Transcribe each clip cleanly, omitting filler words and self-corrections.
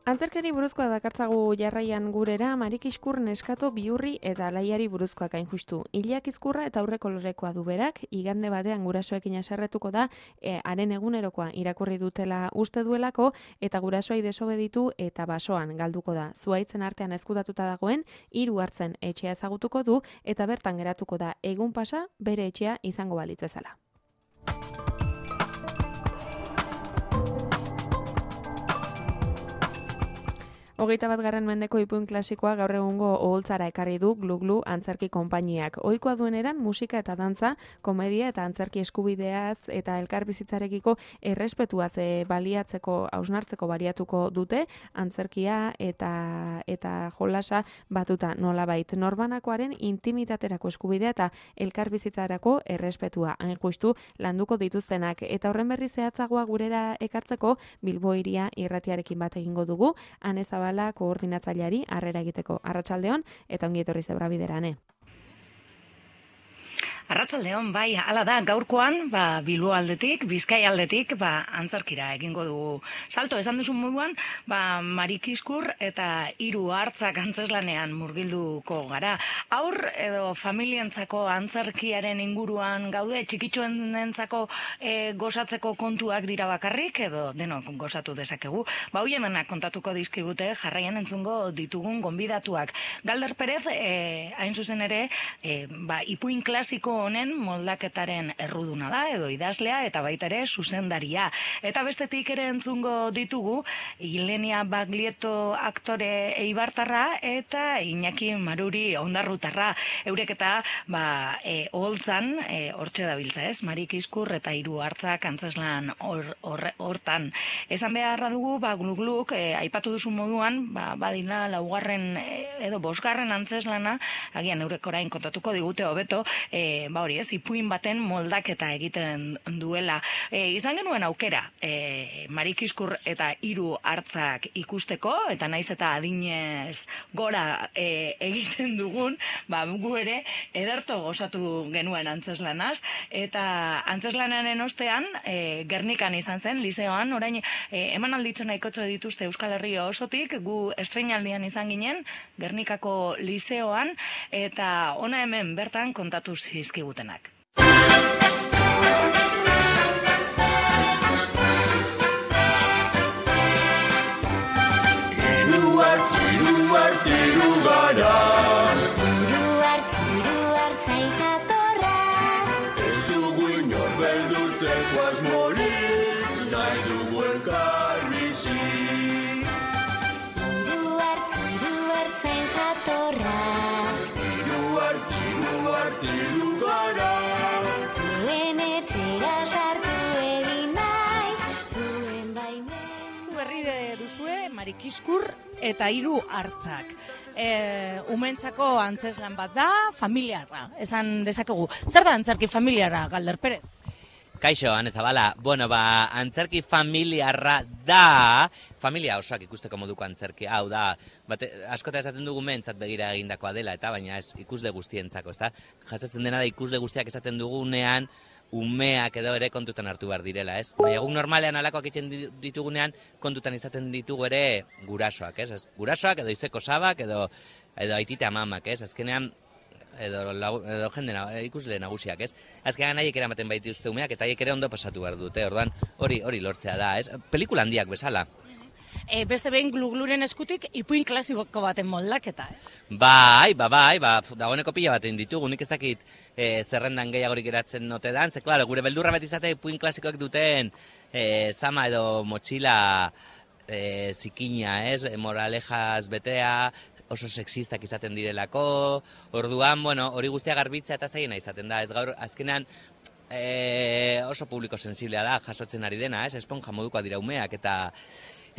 Antzerkeri buruzkoa dakartzagu jarraian gurera, Marik Iskur neskato bihurri eta alaiari buruzkoak hain justu. Hilak izkurra eta aurre kolorekoa du berak, igande batean gurasoekin haserretuko da, haren egunerokoa irakurri dutela uste duelako, eta gurasoai desobeditu eta basoan galduko da. Zuhaitzen artean ezkutatuta dagoen, 3 hartzen etxea ezagutuko du, eta bertan geratuko da egun pasa bere etxea izango balitz bezala. 21. mendeko ipuin klasikoa gaur egungo oholtzara ekarri du Glu antzerki konpainiak. Ohikoa dueneran musika eta dantza, komedia eta antzerki eskubideaz eta elkarbizitzarekiko errespetuaz baliatzeko, hausnartzeko baliatuko dute, antzerkia eta jolasa batuta nolabait. Norbanakoaren intimitaterako eskubidea eta elkarbizitzarako errespetua. Hain justu landuko dituztenak eta horren berri zehatzagoa gurera ekartzeko Bilbo Hiria irratiarekin bat egingo dugu, Ane Zabala koordinatzaileari harrera egiteko. Arratsaldeon eta ongi etorri Zebra Biderane. Arratsaldeon, bai, hala da, gaurkoan, Bilbo aldetik, Bizkai aldetik, antzerkira egingo dugu salto. Esan duzun moduan, Marik Iskur eta 3 hartzak antzeslanean murgilduko gara. Haur edo familientzako antzerkiaren inguruan gaude, txikitxoenentzako gozatzeko kontuak dira bakarrik, edo denok gozatu dezakegu. Hoien denak kontatuko dizkigute jarraian entzungo ditugun gonbidatuak. Galder Perez, hain zuzen ere, ipuin klasiko honen moldaketaren erruduna da, edo idazlea, eta baita ere zuzendaria. Eta bestetik ere entzungo ditugu, Ilenia Baglietto aktore eibartarra, eta Iñaki Maruri ondarrutarra. Eurek eta oholtzan, hortxe dabiltza ez, Marik Iskur eta 3 hartzak antzeslan hortan. Esan beharra dugu, Glu-Gluk, aipatu duzun moduan, badila 4. edo 5. antzeslana, agian eurek orain kontatuko digute hobeto, hori ez, ipuin baten moldaketa egiten duela. Izan genuen aukera, Marik Iskur eta 3 hartzak ikusteko, eta naiz eta adinez gora egiten dugun, gu ere ederto gozatu genuen antzeslanaz, eta antzeslanaren ostean, Gernikan izan zen, liseoan, orain emanalditxo nahikotxo dituzte Euskal Herria osotik, gu estreinaldian izan ginen, Gernikako liseoan, eta ona hemen bertan kontatu zizkigutenak. Hiru hartziru gara, hartzain jatorra, ez dugu inor beldurtzeko asmorik, nahi dugu elkarbizi. hiru hartzain jatorra, Hiru hartziru gara, zuen etxera sartu egin naiz, zuen baimen. Berri duzue, Marik Iskur eta 3 hartzak. Umentzako antzeslan bat da, familiarra, esan dezakegu. Zer da antzerki familiarra, Galder Perez? Kaixo, Ane Zabala. Antzerki familiarra da, familia osoak ikusteko moduko antzerki. Hau da, askota esaten dugu mentzat begira egindakoa dela, eta baina ez ikusle guztientzako, ezta? Jasotzen dena da ikusle guztiak esaten dugunean, umeak edo ere kontutan hartu behar direla, ez? Egun normalean alakoak egiten ditugunean, kontutan izaten ditugu ere gurasoak, ez? Gurasoak edo izeko sabak edo aitite amamak, ez? Azkenean, edo jende ikusle nagusiak, ez? Azkenean haiek eramaten baituzte umeak eta haiek ere ondo pasatu behar dute, orduan hori lortzea da, ez? Pelikula handiak bezala. Beste behin Glu-Gluren eskutik ipuin klasiko baten moldaketa, Bai, dagoeneko pila baten ditugu, nik ez dakit zerrendan gehiagorik geratzen ote dan, ze, klaro, gure beldurra bat izate ipuin klasikoak duten zama edo motxila zikina, ez? Moralejaz betea, oso sexistak izaten direlako, orduan, hori guztia garbitzea eta zaiena izaten da, ez gaur, azkenean, oso publiko sensiblea da, jasotzen ari dena, ez? Esponja modukoa dira umeak,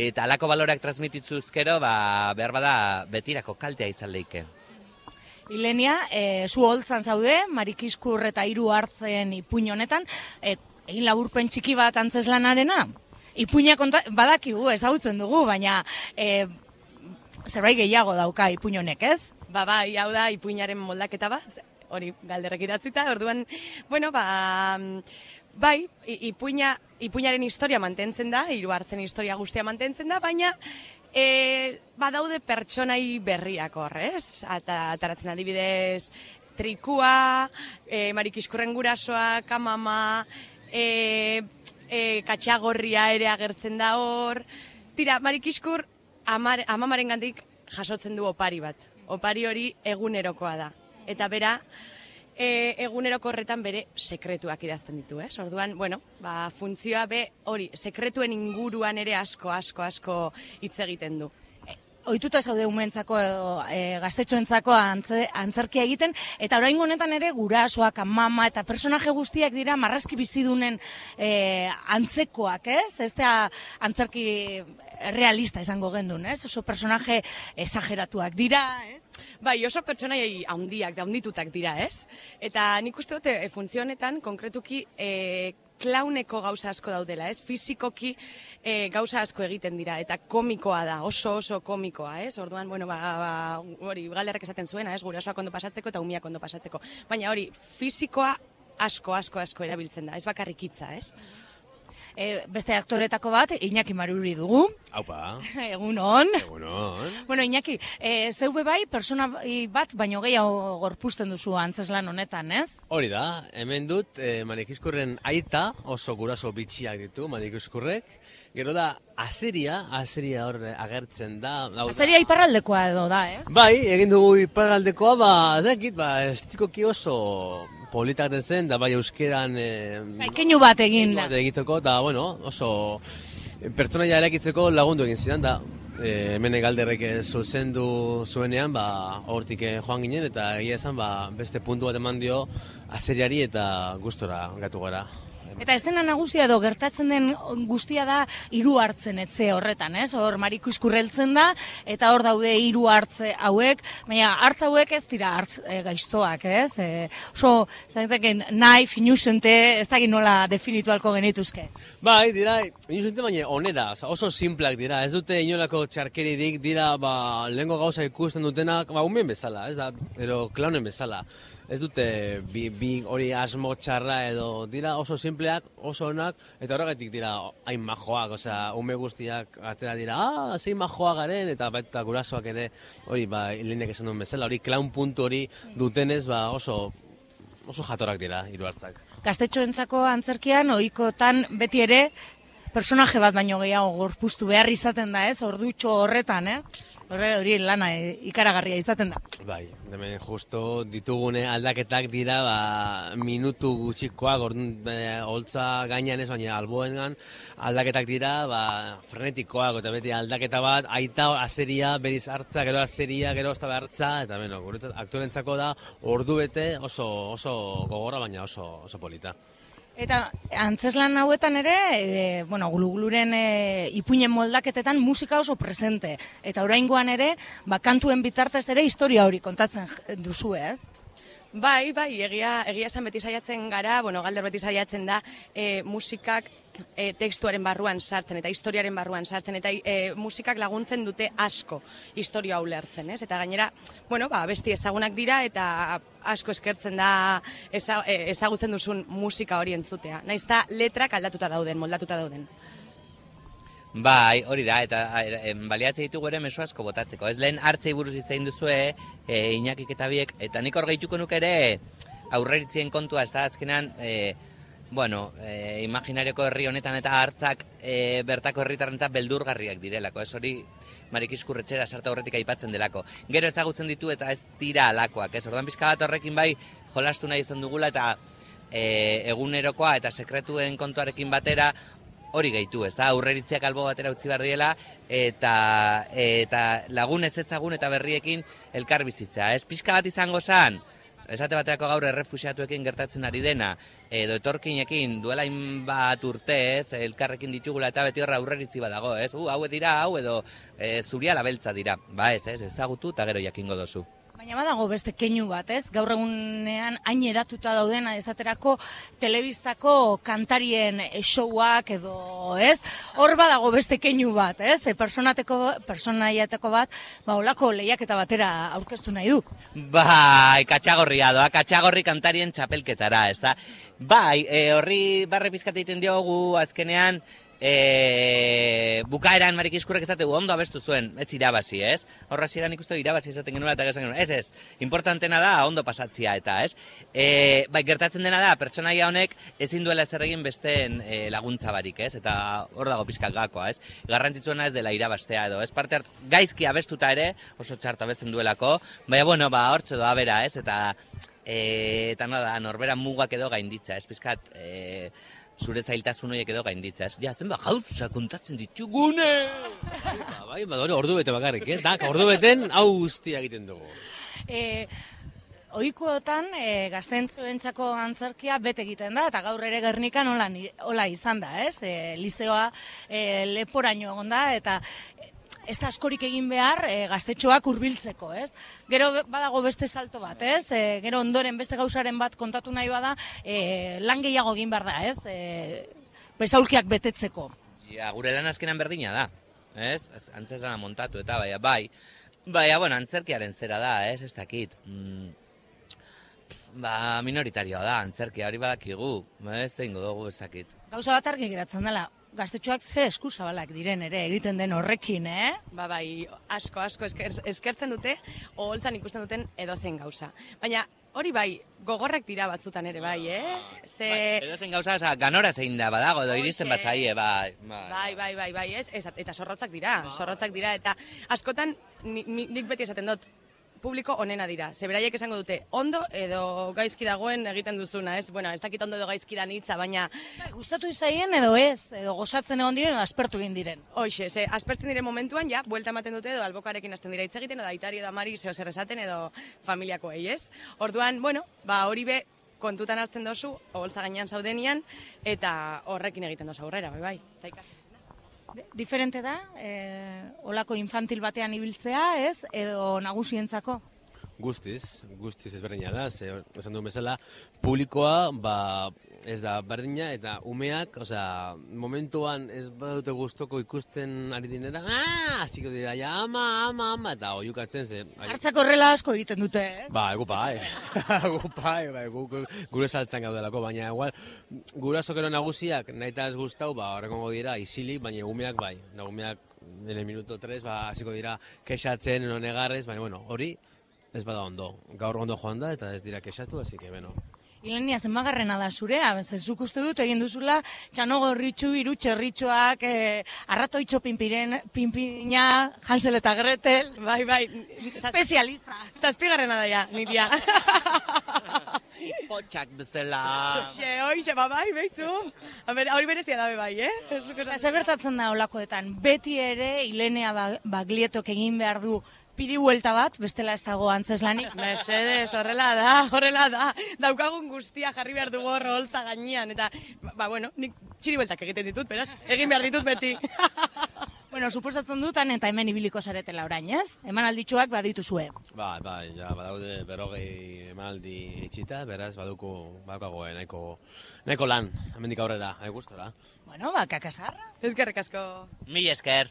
eta alako baloreak transmititzuzkero, behar bada betirako kaltea izan leike. Ilenia, zu holtzan zaude, Marik Iskur eta 3 hartzen ipuin honetan, egin laburpen txiki bat antzeslanarena? Ipuina badakigu, ezagutzen dugu, baina zerbait gehiago dauka ipuin honek, ez? Bai, hau da ipuinaren moldaketa bat, hori Galderrek idatzita, orduan, bai, ipuinaren historia mantentzen da, 3 hartzen historia guztia mantentzen da, baina Badaude pertsonai berriak hor, ez? Ataratzen adibidez, Trikua, Marikiskurren gurasoa, Kamama, Katxagorria ere agertzen da hor. Tira, Marikiskur amamaren gandik jasotzen du opari bat. Opari hori egunerokoa da. Eta bera, eguneroko horretan bere sekretuak idazten ditu, ez? Orduan, funtzioa hori, sekretuen inguruan ere asko hitz egiten du. Ohituta zaude umentzako edo gaztetxoentzako antzerkia egiten, eta oraingo honetan ere gurasoak, amama eta personaje guztiak dira marrazki bizidunen antzekoak, ez? Ez da antzerki realista izango gendun, ez? Oso personaje esageratuak dira, ez? Bai, oso pertsonai handitutak dira, ez? Eta nik uste dute funtzio honetan, konkretuki, klauneko gauza asko daudela, ez? Fizikoki gauza asko egiten dira, eta komikoa da, oso komikoa, ez? Orduan, hori, galderrek esaten zuena, ez? Gurasoak ondo pasatzeko eta umiak ondo pasatzeko. Baina hori, fizikoa asko erabiltzen da, ez bakarrik hitza, ez? Beste aktoretako bat, Iñaki Maruri dugu. Aupa. Egunon. Egunon. Bueno, Iñaki, zeube bai, persona bat baino gehiago gorpuzten duzu antzeslan honetan, ez? Hori da, hemen dut Marikiskurren aita, oso guraso bitxiak ditu Marikiskurrek. Gero da, azeria hor agertzen da. Azeria iparraldekoa edo da, ez? Bai, egin dugu iparraldekoa, estikoki oso politak den zen, da bai euskeran... keinu bat egin da. Egiteko, da, oso pertsonaia erakitzeko lagundu egin zidan, da hemen galderrek zuzendu zuenean, hortik joan ginen, eta egia esan, beste puntu bat eman dio azeriari eta gustora gatu gara. Eta ez dena nagusia edo gertatzen den guztia da hiru hartzen etxe horretan, ez? Hor Marikiskur heltzen da, eta hor daude hiru hartze hauek, baina hartz hauek ez dira hartz gaiztoak, ez? Oso, zaiteken, nahi, finusente, ez dakit nola definitu halko genituzke. Bai, dira, finusente baina onera, oso simplak dira, ez dute inolako txarkeririk, dira, lehengo gauza ikusten dutenak, umen bezala, ez da, ero klaunen bezala. Ez dute bi hori asmo txarra edo dira oso simpleak, oso onak, eta horregatik dira hain majoak, ume guztiak atera dira, zein majoa garen, eta baita gurasoak ere, hori lehenek esan duen bezala, hori klaun puntu hori dutenez, oso jatorrak dira hiru hartzak. Gaztetxoentzako antzerkian, ohikotan beti ere, personaje bat baino gehiago gorpuztu behar izaten da, ez? Ordutxo horretan, ez? Hori lana ikaragarria izaten da. Bai, hemen justo ditugune aldaketak dira, minutu gutxikoak, holtza gainean ez, baina alboengan aldaketak dira, frenetikoak, eta beti aldaketa bat, aita azeria, beriz hartza, gero azeria, gero ozta hartza, eta guretzat aktorentzako da ordu bete oso gogorra, baina oso polita. Eta antzeslan hauetan ere, Glu-Gluren ipuinen moldaketetan musika oso presente. Eta oraingoan ere, kantuen bitartez ere historia hori kontatzen duzu, ez? Bai, egia esan beti saiatzen gara, galder beti saiatzen da, musikak tekstuaren barruan sartzen eta historiaren barruan sartzen, eta musikak laguntzen dute asko historia ulertzen, ez? Eta gainera, besti ezagunak dira eta asko eskertzen da ezagutzen duzun musika hori entzutea. Naiz eta letrak aldatuta dauden, moldatuta dauden. Bai, hori da, eta baliatzen ditugu ere mezu asko botatzeko. Ez lehen hartzei buruz itzain duzue, Iñakik eta biek, eta nik hor gehituko nuke ere aurreritzien kontua, ez da azkenan, imaginarioko herri honetan eta hartzak bertako herritarrentzat beldurgarriak direlako, ez hori Marikiskurretxera sartu horretik aipatzen delako. Gero ezagutzen ditu eta ez dira alakoak, ez ordan pixka bat horrekin bai jolastu nahi izan dugula eta egunerokoa eta sekretuen kontuarekin batera hori gehitu, ez da, aurreritziak albo batera utzi behar diela, eta lagun ez ezagun eta berriekin elkar bizitza. Ez pixka bat izango zen, esate baterako gaur errefuxiatuekin gertatzen ari dena, edo etorkinekin duela bat urte, ez, elkarrekin ditugula eta beti horra aurreritzi badago, ez, hau dira, hau edo zuria labeltza dira, ezagutu eta gero jakingo dozu. Baina badago beste keinu bat, ez? Gaur egunean hain edatuta daudena esaterako telebistako kantarien showak edo, ez? Hor badago beste keinu bat, ez? Personaiateko bat, olako lehiaketa batera aurkeztu nahi du. Bai, Katxagorria doa, Katxagorri kantarien txapelketara, ez da? Bai, horri barre pizkat egiten diogu azkenean, bukaeran Marikiskurrek esategu ondo abestu zuen, ez irabazi, ez? Horra ziren ikustu irabazi esaten genuela eta esan genuen, ez, importantena da ondo pasatzia eta, ez? Bai, gertatzen dena da, pertsonaia honek ezin duela ezer egin besteen laguntza barik, ez? Eta hor dago pizkat gakoa, ez? Garrantzitsuena ez dela irabastea edo, ez? Parte gaizki abestuta ere, oso txarto abesten duelako, baina, bueno, hortxe doa bera, ez? Eta nada, norbera mugak edo gainditza, ez? Pizkat, zure zailtasun horiek edo gainditza, ez? Ja, zenba gauza kontatzen ditugune! Bai, ordu bete bakarrik, dak, ordu beten hau guztia egiten dugu. Ohikoetan gaztentzuentzako antzerkia bete egiten da, eta gaur ere Gernikan hola izan da, ez? Lizeoa leporaino egon da, eta ez da askorik egin behar gaztetxoak hurbiltzeko, ez? Gero badago beste salto bat, ez? Gero ondoren beste gauzaren bat kontatu nahi bada, lan gehiago egin behar da, ez? Besaulkiak betetzeko. Ja, gure lan azkenan berdina da, ez? Antzesana montatu eta bai, bueno, antzerkiaren zera da, ez dakit. Minoritarioa da, antzerkia hori badakigu, ez zeingo dugu ez dakit. Gauza bat argi geratzen dela, gaztetxoak ze eskuzabalak diren ere egiten den horrekin, Bai, asko eskertzen dute, oholtzan ikusten duten edozein gauza. Baina hori bai, gogorrak dira batzutan ere bai, Edozein gauza, ganora zein da badago, edo iristen bazaie, bai. Bai, eta zorrotzak dira, eta askotan nik beti esaten dut, publiko onena dira. Beraiek esango dute, ondo edo gaizki dagoen egiten duzuna, ez? Bueno, ez dakit ondo edo gaizki da hitza, baina... Gustatu izaien edo ez, edo gozatzen egon diren edo aspertu egin diren. Hoxe, aspertzen diren momentuan, ja, buelta ematen dute edo albokarekin hasten dira hitz egiten, edo aitari edo amari zeo zer esaten edo familiakoei, ez? Orduan, bueno, hori be kontutan hartzen dozu, oholtza gainean zaudenian, eta horrekin egiten dozu aurrera, bai. Diferente da, olako infantil batean ibiltzea, ez, edo nagusientzako? Guztiz ezberdina da, esan duen bezala, publikoa, ez da berdina, eta umeak, momentuan ez badute gustoko ikusten ari dinera, hasiko dira, ja, ama, eta oiukatzen, Hartzak horrela asko egiten dute, ez? Gure saltzan gaudelako, baina igual, gurasokero nagusiak nahi eta ez guztau, horrekongo dira, isilik, baina umeak bai, umeak, nire minuto 3, hasiko dira, kexatzen, negarrez, baina, bueno, hori, ez bada ondo, gaur ondo joan da eta ez dira kexatu, así que, bueno. Ilenia, zenbagarrena da zurea, zuk uste dut egin duzula, txano gorritxu, hiru txerritxoak, arratoitxo pinpina, Hansel eta Gretel, bai, espezialista. Zazpigarrena da ja, niria. Potxak bezala. Hoxe, bai, behitu. Hori berezia dabe bai, Zer gertatzen da olakoetan, beti ere Ilenia Baglietok egin behar du piri buelta bat, bestela ez dago antzeslanik. Mesedez, horrela da. Daukagun guztia jarri behar dugu oholtza gainean, eta, bueno, nik txiri bueltak egiten ditut, beraz, egin behar ditut beti. Bueno, suposatzen dutan eta hemen ibiliko zaretela orain, ez? Emanalditxoak badituzue. Bai, ja, badaude 40 emanaldi itxita, beraz, badukago nahiko lan, hemendik aurrera, gustora. Bueno, kakasarra. Eskerrik asko. Mil esker.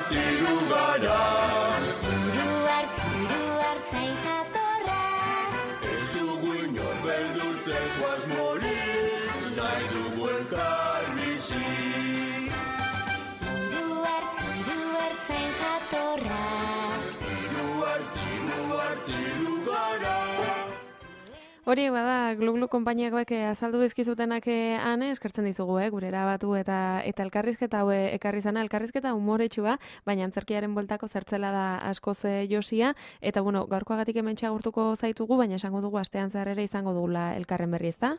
Txiru gara Hiru hartzain jatorra Ez dugu inor beldurtzeko asmorik Nahi dugu elkar bizi Hiru hartzain jatorra Txiru gara Hori bada, Glu konpainiakoek azaldu dizkizutenak ane, eskertzen dizugu, gure erabatu eta elkarrizketa hau ekarri zana, elkarrizketa humoretsua, baina antzerkiaren bueltako zertzela da askoz josia, eta bueno, gaurkoagatik hementxe agurtuko zaitugu, baina esango dugu astean zehar ere izango dugula elkarren berri, ezta?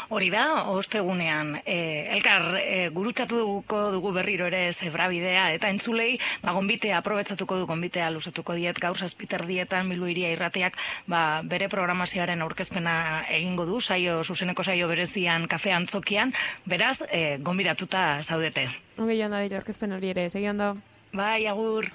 Hori da, ostegunean, elkar gurutzatuko dugu berriro ere zebrabidea, eta entzulei, gonbitea, aprobetzatuko du, gonbitea luzatuko diet, gaur 7:00 Bilbo Hiria Irratiak, bere programazioaren aurkezpena egingo du, zuzeneko saio berezian kafe antzokian, beraz, gonbidatuta zaudete. Ongi joan da dira aurkezpen hori ere, segi ondo. Bai, agur.